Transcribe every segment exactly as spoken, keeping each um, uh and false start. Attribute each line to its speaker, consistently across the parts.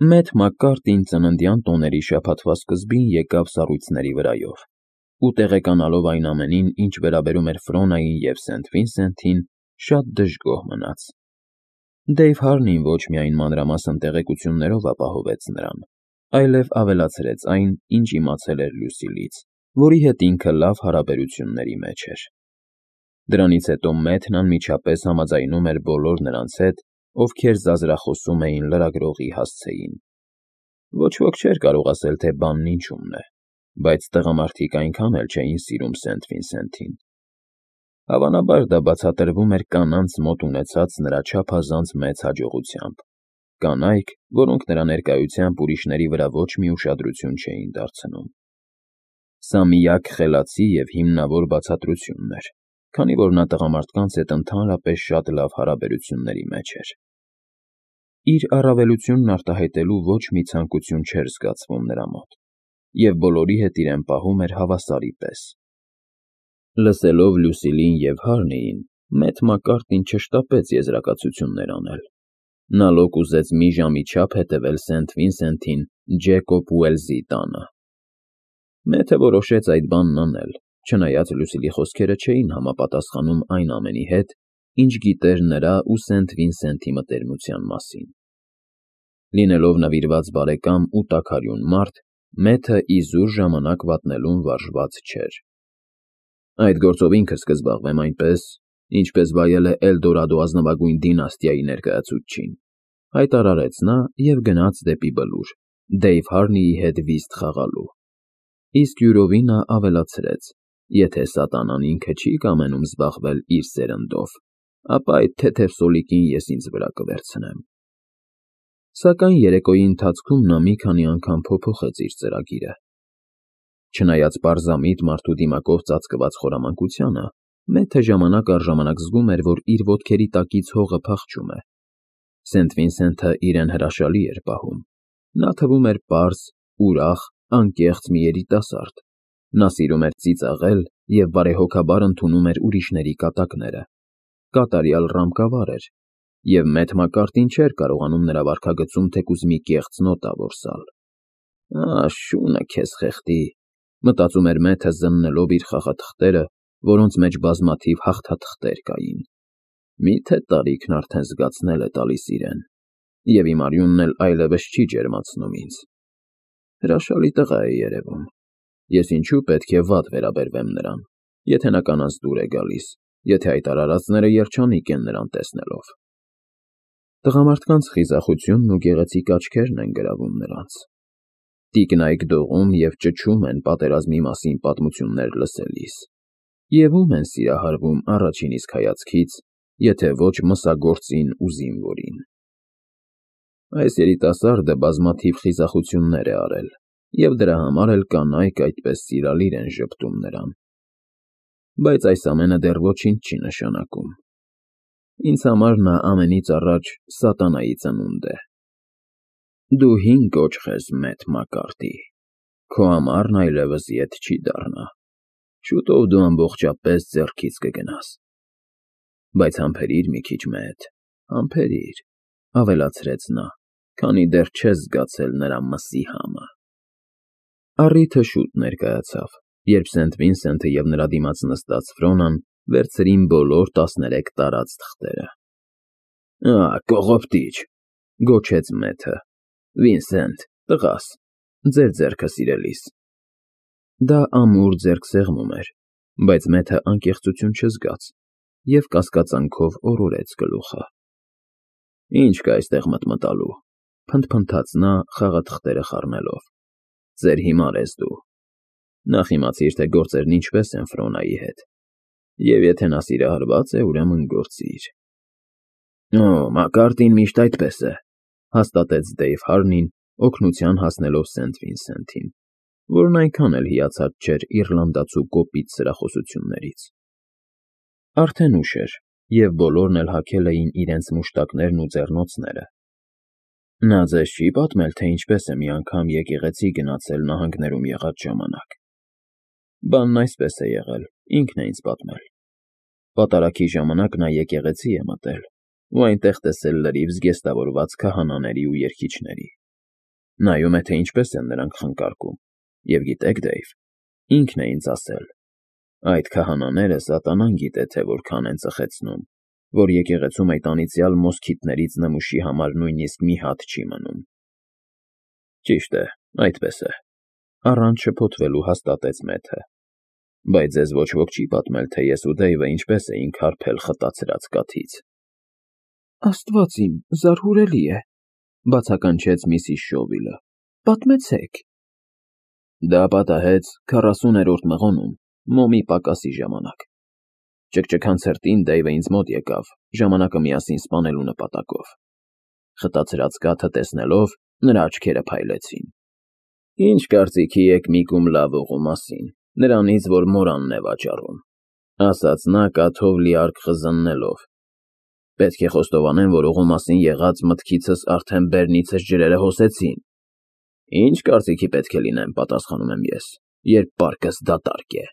Speaker 1: Մեթ Մակկարտին ծննդյան տոների շաբաթվա սկզբին եկավ սառույցների վրայով ու տեղեկանալով այն ամենին, ինչ վերաբերում էր Ֆրոնային և Սենթ Վինսենթին, շատ դժգոհ մնաց։ Դեյվ Հարնին ոչ միայն մանրամասն տեղեկություններով ապահովեց նրան, այլև ավելացրեց այն, ինչ իմացել էր Լյուսիլից, որի հետ ինքը լավ հարաբերությունների մեջ էր։ Դրանից հետո Մեթն անմիջապես համաձայնում էր բոլոր նրանց հետ, ովքեր ձազրախոսում էին լրագրողի հասցեին։ Ոչ ոք չէր կարող ասել, թե բանն ինչումն է, բայց տղամարդիկ այնքան էլ չէին սիրում Սենթ Վինսենթին։ Հավանաբար դա բացատրվում էր կանանց մոտ ունեցած նրա չափազանց մեծ հաջողությամբ, կանայք, որոնք նրա ներկայությամբ ուրիշների վրա ոչ մի ուշադրություն չէին դարձնում։ Սա միակ խելացի և հիմնավոր բացատրությունն էր, քանի որ նա տղամարդկանց հետ ընդհանրապես շատ լավ հարաբերությունների մեջ էր։ Իր առավելությունն արտահայտելու ոչ մի ցանկություն չէր զգացվում նրա մոտ, և բոլորի հետ իրեն պահում էր հավասարի պես։ Լսելով Լյուսիլին և Հարնիին, Մեթ Մակկարտին չշտապեց եզրակացություններ անել։ Նա լոկ ուզեց մի ժամի չափ հետևել Սենթ Վինսենթին Ջեկոբ Ուելսի տանը։ Մեթը որոշեց այդ բանն անել, չնայած Լյուսիլի խոսքերը չէին համապատասխանում այն ամենի հետ, ինչ գիտեր նրա ու Սենթ Վինսենթի մտերմության մասին։ Լինելով նվիրված բարեկամ ու տաքարյուն մարդ, Մեթը իզուր ժամանակ վատնելուն վարժված չէր։ «Այդ գործով ինքս կզբաղվեմ այնպես, ինչպես վայել է Էլդորադո ազնվագույն դինաստիայի ներկայացուցչին», հայտարարեց նա և գնաց դեպի բլուր՝ Դեյվ Հարնիի հետ վիզտ խաղալու։ Իսկ յուրովի նա ավելացրեց. «Եթե սատանան ինքը չի կամենում զբաղվել իր սերնդով, ապա այդ թեթև սոլիկին ես ինձ վրա կվերցնեմ»։ Սակայն երեկոյի ընթացքում նա մի քանի անգամ փոփոխեց իր ծրագիրը։ Չնայած պարզամիտ մարդու դիմակով ծածկված խորամանկությանը, Մեթը ժամանակ առ ժամանակ զգում էր, որ իր ոտքերի տակից հողը փախչում է։ Սենթ Վինսենթը իրեն հրաշալի էր պահում։ Նա թվում էր պարզ, ուրախ, անկեղծ մի երիտասարդ։ Նա սիրում էր ծիծաղել և բարեհոգաբար ընդունում էր ուրիշների կատակները։ Կատարյալ ռամկավար էր, և Մեթ Մակկարտին չէր կարողանում նրա վարքագծում թեկուզ մի կեղծ նոտա որսալ։ «Ա, շունը քեզ խեղդի», մտածում էր Մեթը զննելով իր խաղաթղթերը, որոնց մեջ բազմաթիվ հաղթաթղթեր կային։ Միթե տարիքն արդեն զգացնել է տալիս իրեն, և իմ արյունն էլ այլևս չի ջերմացնում ինձ։ Հրաշալի տղա է երևում։ Ես ինչու պետք է վատ վերաբերվեմ նրան, եթե նա կանանց դուր է գալիս, եթե այդ արարածները երջանիկ են նրան տեսնելով։ Տղամարդկանց խիզախությունն ու գեղեցիկ աչքերն են գրավում նրանց։ Տիկնայք դողում և ճչում են պատերազմի մասին պատմություններ լսելիս, և ում են սիրահարվում առաջին իսկ հայացքից, եթե ոչ մսագործին ու զինվորին։ Այս երիտասարդը բազմաթիվ խիզախություններ է արել, և դրա համար էլ կանայք այդպես սիրալիր են ժպտում նրան։ Բայց այս ամենը դեռ ոչինչ չի նշանակում։ Ինձ համար նա ամենից առաջ սատանայի ծնունդ է։ Դու հին կոճղ ես, Մեթ Մակկարտի, քո ամառն այլևս ետ չի դառնա, շուտով դու ամբողջապես ձեռքից կգնաս։ Բայց համբերիր մի քիչ, Մեթ, համբերիր, ավելացրեց նա, քանի դեռ չես զգացել նրա մսի համը։ Առիթը շուտ ներկայացավ, երբ Սենթ Վինսենթը և նրա դիմաց նստած Ֆրոնան վերցրին բոլոր տասներեք տարած թղթերը։ «Ա, կողոպտիչ», գոչեց Մեթը։ «Վինսենթ, տղաս, ձեր ձեռքը սիրելիս»։ Դա ամուր ձեռքսեղմում էր, բայց Մեթը անկեղծություն չզգաց և կասկածանքով օրորեց գլուխը։ «Ինչ կա այստեղ մտմտալու», փնթփնթաց նա խաղաթղթերը խառնելով։ «Ծեր հիմար ես դու։ Նախ իմացիր, թե գործերն ինչպես են Ֆրոնայի հետ, և եթե նա սիրահարված է, ուրեմն գործիր»։ «Օ, Մակկարտին միշտ այդպես է», հաստատեց Դեյվ Հարնին, օգնության հասնելով Սենթ Վինսենթին, որն այնքան էլ հիացած չէր իռլանդացու կոպիտ սրախոսություններից։ Արդեն ուշ էր, և բոլորն էլ հագել էին իրենց մուշտակներն ու ձեռնոցները։ Նա ձեզ չի՞ պատմել, թե ինչպես է մի անգամ եկեղեցի գնացել նահանգներում եղած ժամանակ։ Բանն այսպես է եղել, ինքն է ինձ պատմել։ Պատարագի ժամանակ նա եկեղեցի է մտել ու այնտեղ տեսել լրիվ զգեստավորված քահանաների ու երգիչների։ Նայում է, թե ինչպես են նրանք խնկարկում, և գիտեք, Դեյվ, ինքն է ինձ ասել. այդ քահանաները սատանան գիտե, թե որքան են ծխեցնում, որ եկեղեցում այդ անիծյալ մոսքիթներից նմուշի համար նույնիսկ մի հատ չի մնում։ Ճիշտ է, այդպես է, առանց շփոթվելու հաստատեց Մեթը, բայց ձեզ ոչ ոք չի պատմել, թե ես ու Դեյվը ինչպես էինք հարբել խտացրած կաթից։ Աստված իմ, զարհուրելի է, բացականչեց միսիս Շովիլը, պատմեցեք։ Դա պատահեց քառասուներորդ մղոնում, մոմի պակասի ժամանակ։ Ճկճքան ցրտին Դեյվը ինձ մոտ եկավ, ժամանակը միասին սպանելու նպատակով։ Խտացրած կաթը տեսնելով, նրա աչքերը փայլեցին։ Ինչ կարծիքի եք Միկում լավողու մասին, նրանից, որ մորանն է վաճառում, ասաց նա կաթով լիարկ խզննելով։ Պետք է խոստովանեմ, որ օղու մասին եղած մտքիցս արդեն բեռնիցս ջրերը հոսեցին։ Ինչ կարծիքի պետք է լինեմ, պատասխանում եմ ես, երբ պարկս դատարկ է։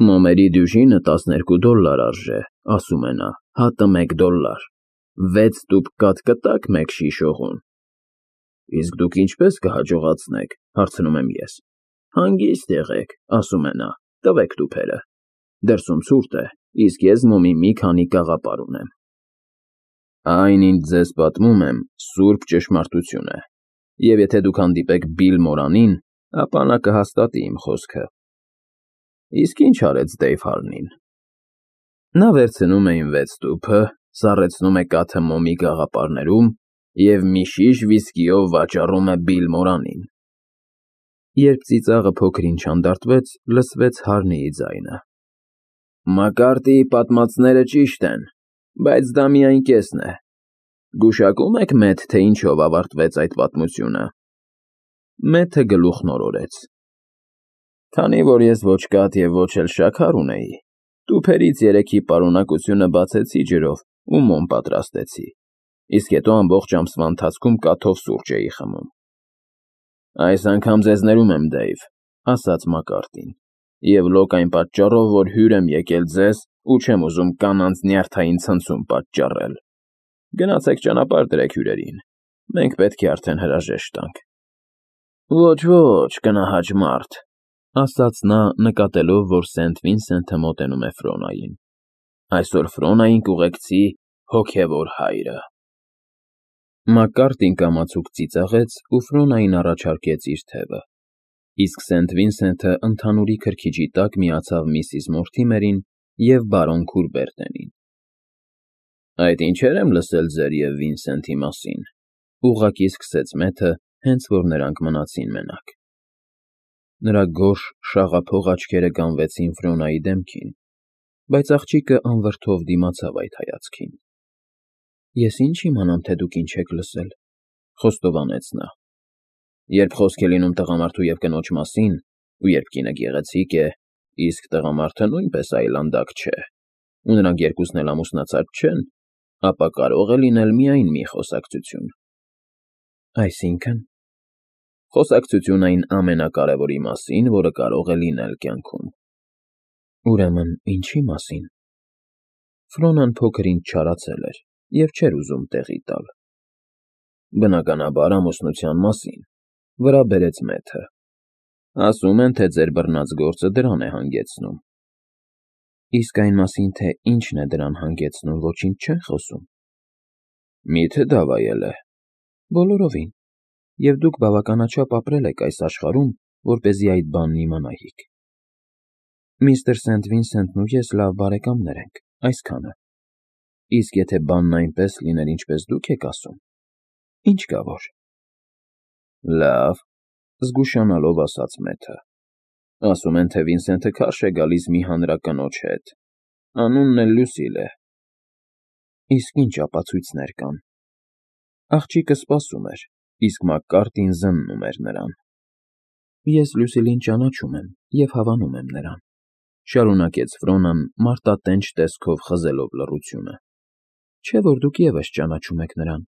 Speaker 1: Մոմերի դյուժինը տասներկու դոլլար արժե, ասում է նա, հատը մեկ դոլլար, վեց տուփ կաթ կտաք մեկ շիշ օղուն։ Իսկ դուք ինչպես կհաջողացնեք, հարցնում եմ ես։ Հանգիստ եղեք, ասում է նա, տվեք տուփերը։ Դրսում ցուրտ է, իսկ ես մոմի մի քանի կաղապար ունեմ։ Այն, ինչ ձեզ պատմում եմ, սուրբ ճշմարտություն է, և եթե դուք հանդիպեք Բիլ Մորանին, ապա նա կհաստատի իմ խոսքը։ Իսկ ինչ արեց Դեյվ Հարնին։ Նա վերցնում է իմ վեց տուփը, սառեցնում է կաթը մոմի գաղապարներում և մի շիշ վիսկիով վաճառում է Բիլ Մորանին։ Երբ ծիծաղը փոքր-ինչ հանդարտվեց, լսվեց Հարնիի ձայնը. Մակարդիի պատմածները ճիշտ են, բայց դա միայն կեսն է։ Գուշակո՞ւմ եք, Մեթ, թե ինչով ավարտվեց այդ պատմությունը։ Մեթը գլուխն օրորեց։ Քանի որ ես ոչ կաթ և ոչ էլ շաքար ունեի, տուփերից երեքի պարունակությունը բացեցի ջրով ու մոմ պատրաստեցի, իսկ հետո ամբողջ ամսվա ընթացքում կաթով սուրճ էի խմում։ Այս անգամ ձեզ ներում եմ, Դեյվ, ասաց Մակարդին, և լոկ այն պատճառով, որ հյուր եմ եկել ձեզ ու չեմ ուզում կանանց նյարդային ցնցում պատճառել։ Գնացեք ճանապարհ դրեք հյուրերին, մենք պետք է արդեն հրաժեշտ տանք։ Ոչ, ոչ, կնահաճ մարդ, ասաց նա, նկատելով, որ Սենթ Վինսենթը մոտենում է Ֆրոնային։ Այսօր Ֆրոնային կուղեկցի հոգևոր հայրը։ Մակարդին կամացուկ ծիծաղեց ու Ֆրոնային առաջարկեց իր թևը, իսկ Սենթ Վինսենթը ընդհանուրի քրքիջի տակ միացավ միսիս Մորթիմերին և բարոն Քուրբերտենին։ Այդ ինչեր եմ լսել ձեր և Վինսենթի մասին, ուղղակի սկսեց Մեթը, հենց որ նրանք մնացին մենակ։ Նրա գորշ, շաղափող աչքերը գանվեցին Ֆրոնայի դեմքին, բայց աղջիկը անվրդով դիմացավ այդ հայացքին։ Ես ինչ իմանամ, թե դուք ինչ եք լսել, խոստովանեց նա։ Երբ խոսք է լինում տղամարդու և կնոջ մասին, ու երբ կինը գեղեցիկ է, իսկ տղամարդը նույնպես այլանդակ չէ, ու նրանք երկուսն էլ ամուսնացած չեն, ապա կարող է լինել միայն մի խոսակցություն։ Այսինքն… Խոսակցություն այն ամենակարևորի մասին, որը կարող է լինել կյանքում։ Ուրեմն, ինչի մասին։ Ֆրոնան փոքր-ինչ չարացել էր և չէր ուզում տեղի տալ։ Բնականաբար ամուսնության մասին, վրա բերեց Մեթը։ Ասում են, թե ձեր բռնած գործը դրան է հանգեցնում։ Իսկ այն մասին, թե ինչն է դրան հանգեցնում, ոչինչ չեն խոսում։ Մի՞թե դավայել է։ Բոլորովին։ Եվ դուք բավականաչափ ապրել եք այս աշխարհում, որպեսզի այդ բանն իմանայիք։ Միստր Սենթ Վինսենթն ու ես լավ բարեկամներ ենք, այսքանը։ Իսկ եթե բանն այնպես լիներ, ինչպես դուք եք ասում, ինչ կա որ։ Լավ, զգուշանալով ասաց Մեթը։ Ասում են, թե Վինսենթը քարշ է գալիս մի հանրակնոջ հետ, անունն էլ Լուսիլ է։ Իսկ ինչ ապացույցներ կան։ Աղջիկը սպասում էր, իսկ Մակկարտին զննում էր նրան։ Ես Լուսիլին ճանաչում եմ և հավանում եմ նրան, շարունակեց Ֆրոնան մարտատենչ տեսքով խզելով լռությունը։ Չէ՞ որ դուք ևս ճանաչում եք նրան։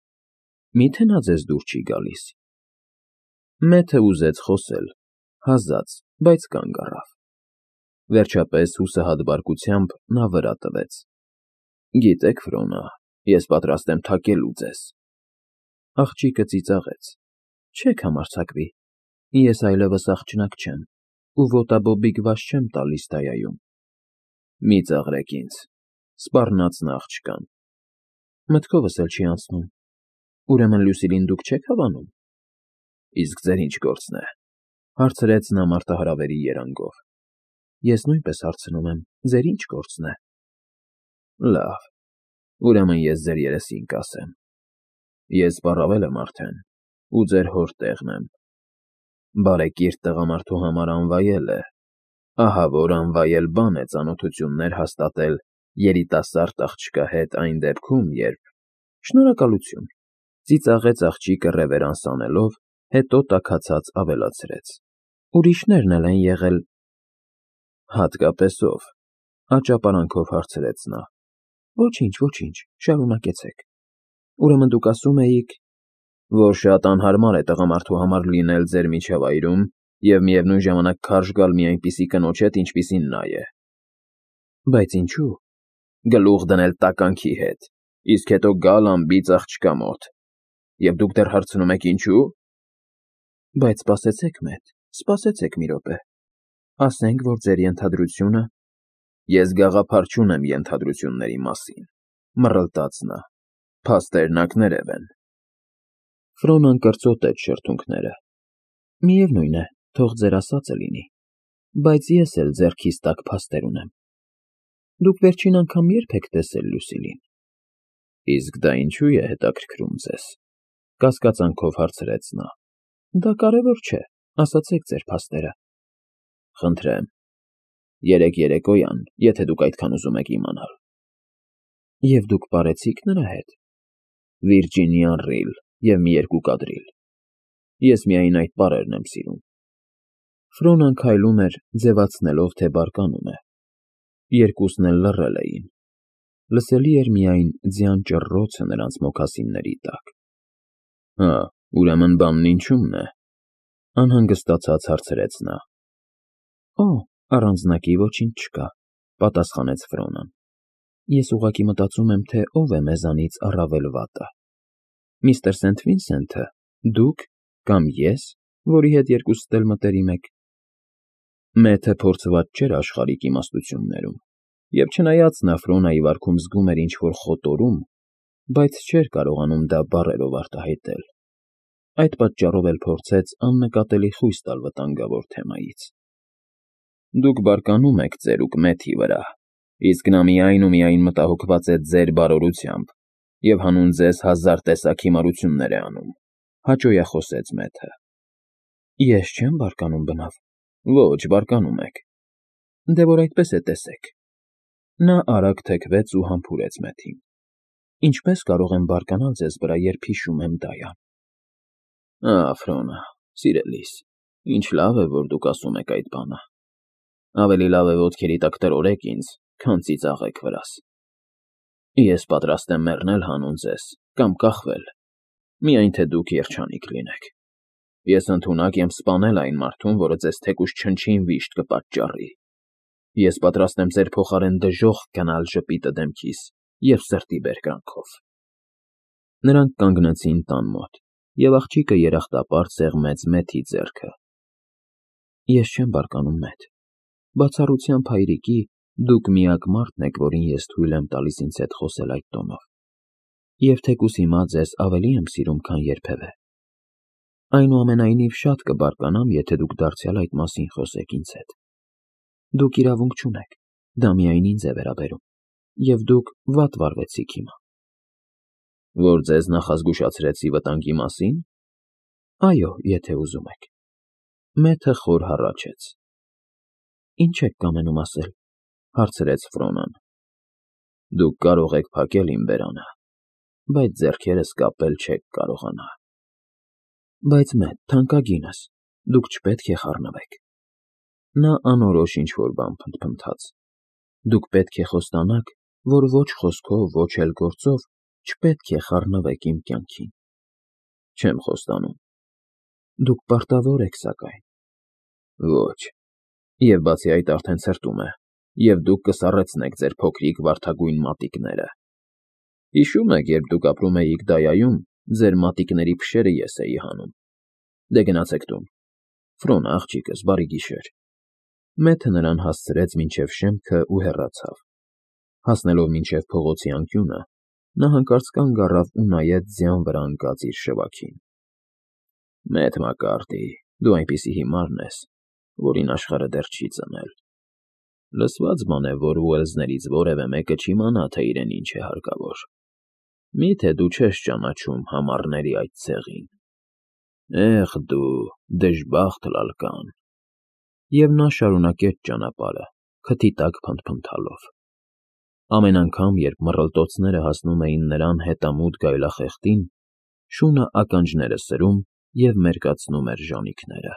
Speaker 1: Մի՞թե նա ձեզ դուր չի գալիս։ Մեթը ուզեց խոսել, հազաց, բայց կանգ առավ։ Վերջապես հուսահատ բարկությամբ նա վրա տվեց. Գիտեք, Ֆրոնա, ես պատրաստ եմ թակելու ձեզ։ Աղջիկը ծիծաղեց։ Չեք համարձակվի, ես այլևս աղջնակ չեմ ու ոտաբոբիկ վազ չեմ տալիս Դայայում։ Մի ծաղրեք ինձ, սպառնաց նա աղջկան։ Մտքովս էլ չի անցնում, ուրեմն Լուսիլին դուք չեք հավանում։ Իսկ ձեր ինչ գործն է, հարցրեց նա մարտահրավերի երանգով։ Ես նույնպես հարցնում եմ, ձեր ինչ գործն է։ Լավ, ուրեմն ես ձեր երեսին կասեմ։ Ես պառավել եմ արդեն ու ձեր հոր տեղն եմ։ Բարեկիրթ տղամարդու համար անվայել է, ահա որ անվայել բան է ծանոթություններ հաստատել երիտասարդ աղջկա հետ այն դեպքում, երբ… Շնորհակալություն, ծիծաղեց աղջիկը ռևերանս անելով, հետո տաքացած ավելացրեց. Ուրիշներն էլ են եղել… Հատկապես ով, աճապարանքով հարցրեց նա։ Ոչինչ, ոչինչ, շարունակեցեք։ Ուրեմն դուք ասում էիք, որ շատ անհարմար է տղամարդու համար լինել ձեր միջավայրում և միևնույն ժամանակ քարշ գալ մի այնպիսի կնոջ հետ, ինչպիսին նա է։ Բայց ինչու՞։ Գլուխ դնել տականքի հետ, իսկ հետո գալ անբիծ աղջկա մոտ։ Եվ դուք դեռ հարցնում եք ինչու՞։ Բայց սպասեցեք մեկ, սպասեցեք մի րոպե։ Ասենք, որ ձեր ենթադրությունը… Ես գաղափար չունեմ ենթադրությունների մասին, մռլտաց նա, փաստերն ակներև են։ Ֆրոնան կրծոտեց շրթունքները։ Միևնույն է, թող ձեր ասածը լինի, բայց ես էլ ձեռքիս տակ փաստեր ունեմ։ Դուք վերջին անգամ ե՞րբ եք տեսել Լուսիլին։ Իսկ դա ինչու է հետաքրքրում ձեզ, կասկածանքով հարցրեց նա։ Դա կարևոր չէ, ասացեք ձեր փաստերը։ Խնդրեմ, երեկ երեկոյան, եթե դուք այդքան ուզում եք իմանալ։ Եվ դուք պարեցի՞ք նրա հետ։ Վիրջինիան Ռիլ և մի երկու կադրիլ։ Ես միայն այդ բառերն եմ սիրում։ Ֆրոնան քայլում էր, ձևացնելով, թե բարկանում է։ Երկուսն էլ լռել էին։ Լսելի էր միայն ձյան ճռռոցը նրանց մոքասինների տակ։ Հա, ուրեմն բանն ինչու՞մն է, անհանգստացած հարցրեց նա։ Օ, առանձնակի ոչինչ չկա, պատասխանեց Ֆրոնան։ Ես ուղղակի մտածում եմ, թե ով է մեզանից առավել վատը։ Միստր Սենթ Վինսենթը, դուք կամ ես, որի հետ երկուսդ էլ մտերիմ եք։ Մեթը փորձված չէր աշխարհիկ իմաստություններում, և չնայած նա Ֆրոնայի վարքում զգում էր ինչ֊որ խոտորում, բայց չէր կարողանում դա բառերով արտահայտել։ Այդ պատճառով էլ փորձեց աննկատելի խույս տալ վտանգավոր թեմայից։ Դուք բարկանում եք ծերուկ Մեթի վրա, իսկ նա միայն ու միայն մտահոգված է ձեր բարօրությամբ և հանուն ձեզ հազար տեսակ հիմարություններ է անում, հաճոյախոսեց Մեթը։ Ես չեմ բարկանում, բնավ։ Ոչ, բարկանում եք։ Դե որ այդպես է, տեսեք։ Նա արագ թեքվեց ու համբուրեց Մեթին։ Ինչպես կարող եմ բարկանալ ձեզ վրա, երբ հիշում եմ Դայան։ Ահ, Ֆրոնա, սիրելիս, ինչ լավ է, որ դուք ասում եք այդ բանը։ Ավելի լավ է ոտքերի տակ տրորեք ինձ, քան ծիծաղեք վրաս։ Ես պատրաստ եմ մեռնել հանուն ձեզ կամ կախվել, միայն թե դուք երջանիկ լինեք։ Ես ընդունակ եմ սպանել այն մարդուն, որը ձեզ թեկուզ չնչին վիշտ կպատճառի։ Ես պատրաստ եմ ձեր փոխարեն դժոխք գնալ ժպիտը դեմքիս և սրտի բերկրանքով։ Նրանք կանգնեցին տան մոտ, և աղջիկը երախտապարտ սեղմեց Մեթի ձեռքը։ Ես չեմ բարկանում, Մեթ։ Բացառությամբ հայրիկի, դուք միակ մարդն եք, որին ես թույլ եմ տալիս ինձ հետ խոսել այդ տոնով։ Եվ թեկուզ հիմա ձեզ ավելի եմ սիրում, քան երբևէ։ Այնուամենայնիվ շատ կբարկանամ, եթե դուք դարձյալ այդ մասին խոսեք ինձ հետ։ Դուք իրավունք չունեք, դա միայն ինձ է վերաբերում, և դուք վատ վարվեցիք հիմա։ Որ ձեզ նախազգուշացրեցի վտանգի մասին։ Այո, եթե ուզում եք։ Մեթը խոր հառաչեց։ Ինչ եք կամենում ասել, հարցրեց Ֆրոնան։ Դուք կարող եք փակել իմ բերանը, բայց ձեռքերս կապել չեք կարողանա։ Բայց Մեթ, թանկագինս, դուք չպետք է խառնվեք։ Նա անորոշ ինչ֊որ բան փնթփնթաց։ Դուք պետք է խոստանաք, որ ոչ խոսքով, ոչ էլ գործով չպետք է խառնվեք իմ կյանքին։ Չեմ խոստանում։ Դուք պարտավոր եք, սակայն։ Ոչ։ Եվ բացի այդ արդեն ցրտում է, և դուք կսառեցնեք ձեր փոքրիկ վարդագույն մատիկները։ Հիշո՞ւմ եք, երբ դուք ապրում էիք Դայայում, ձեր մատիկների փշերը ես էի հանում։ Դե գնացեք տուն։ Ֆրոն, աղջիկս, բարի գիշեր։ Մեթը նրան հասցրեց մինչև շեմքը ու հեռացավ։ Հասնելով մինչև փողոցի անկյունը, նա հանկարծ կանգ առավ ու նայեց ձյան վրա ընկած իր շվաքին։ Մեթ Մակարթի, դու այնպիսի հիմարն ես, որին աշխարհը դեռ չի ծնել։ Լսված բան է, որ Ուելսներից որևէ մեկը չիմանա, թե իրեն ինչ է հարկավոր։ Մի՞թե դու չես ճանաչում համառների այդ ցեղին։ Էհ դու, դժբախտ Լալկան։ Եվ նա շարունակեց ճանապարհը, քթի տակ փնթփնթալով։ Ամեն անգամ, երբ մռլտոցները հասնում էին նրան հետամուտ գայլախեղդին, շունը ականջները սրում և մերկացնում էր ժանիքները։